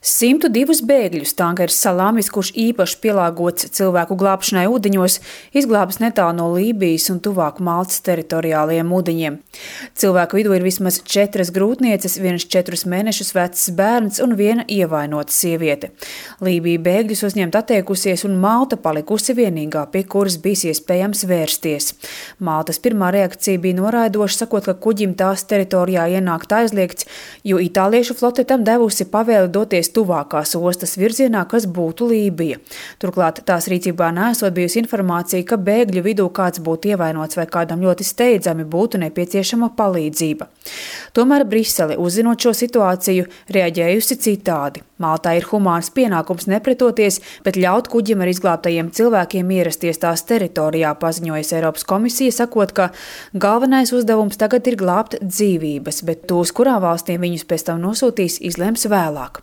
102 bēgļus tankeris Salāmis, kurš īpaši pielāgots cilvēku glābšanai ūdeņos, izglābis netālu no Lībijas un tuvāk Maltas teritoriālajiem ūdeņiem. Cilvēku vidū ir vismaz 4 grūtnieces, viens 4 mēnešus vecs bērns un viena ievainota sieviete. Lībija bēgļus uzņemt atteikusies un Malta palikusi vienīgā, pie kuras bijis iespējams vērsties. Maltas pirmā reakcija bija noraidoša, sakot, ka kuģim tās teritorijā ienākt aizliegts, jo itāliešu flote tam devusi pavēli doties tuvākās ostas virzienā, kas būtu Lībija. Turklāt tās rīcībā neesot bijusi informācija, ka bēgļu vidū kāds būtu ievainots vai kādam ļoti steidzami būtu nepieciešama palīdzība. Tomēr Brisele, uzzinot šo situāciju, reaģējusi citādi. Maltā ir humāns pienākums nepretoties, bet ļaut kuģim ar izglābtajiem cilvēkiem ierasties tās teritorijā, paziņojas Eiropas komisija, sakot, ka galvenais uzdevums tagad ir glābt dzīvības, bet tos, kurā valstīm viņus pēc tam nosūtīs, izlems vēlāk.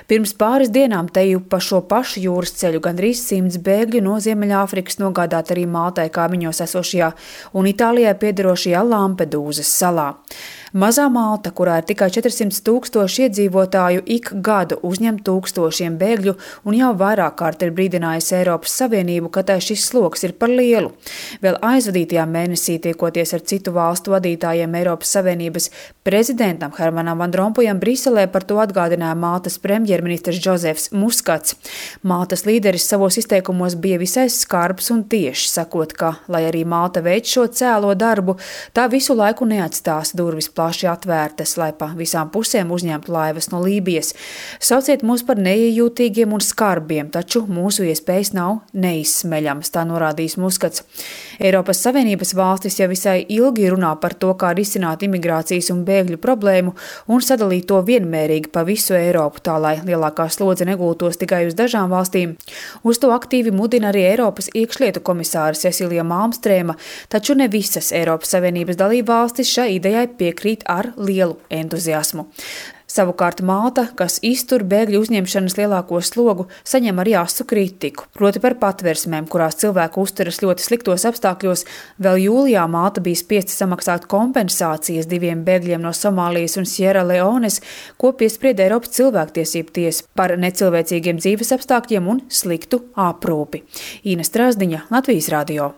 Pirms pāris dienām teju pa šo pašu jūras ceļu gandrīz 100 bēgļu no Ziemeļāfrikas nogādāt arī Maltai kaimiņos esošajā un Itālijai piederošajā Lampedūzas salā. Mazā Malta, kurā ir tikai 400 000 iedzīvotāju, ik gadu uzņem tūkstošiem bēgļu un jau vairāk kārt ir brīdinājusi Eiropas Savienību, ka tai šis sloks ir par lielu. Vēl aizvadītajā mēnesī tiekoties ar citu valstu vadītājiem Eiropas Savienības prezidentam Hermanam Van Rompujam Briselē par to atgādināja Maltas premjerministrs Džozefs Muskats. Maltas līderis savos izteikumos bija visai skarbs un tieši, sakot, ka, lai arī Malta veic šo cēlo darbu, tā visu laiku neatstās durvis plaši atvērtas, lai pa visām pusēm uzņemtu laivas no Lībijas. Sauciet mūs par neiejūtīgiem un skarbiem, taču mūsu iespējas nav neizsmeļamas, tā norādījis Muskats. Eiropas Savienības valstis jau visai ilgi runā par to, kā risināt imigrācijas un bēgļu problēmu un sadalīt to vienmērīgi pa visu Eiropu, tā lai lielākā slodze negultos tikai uz dažām valstīm. Uz to aktīvi mudina arī Eiropas iekšlietu komisāra Cecilija Malmstrēma, taču ne visas Eiropas Savienības dalībvalstis šai idejai piekrīt ar lielu entuziasmu. Savukārt Malta, kas iztur bēgļu uzņemšanas lielāko slogu, saņem arī asu kritiku, proti par patversmēm, kurās cilvēku uzturas ļoti sliktos apstākļos. Vēl jūlijā Malta bija spiesta samaksāt kompensācijas 2 bēgļiem no Somālijas un Sierra Leones, ko piesprieda Eiropas cilvēktiesību tiesa par necilvēcīgiem dzīves apstākļiem un sliktu aprūpi. Īna Strazdiņa, Latvijas radio.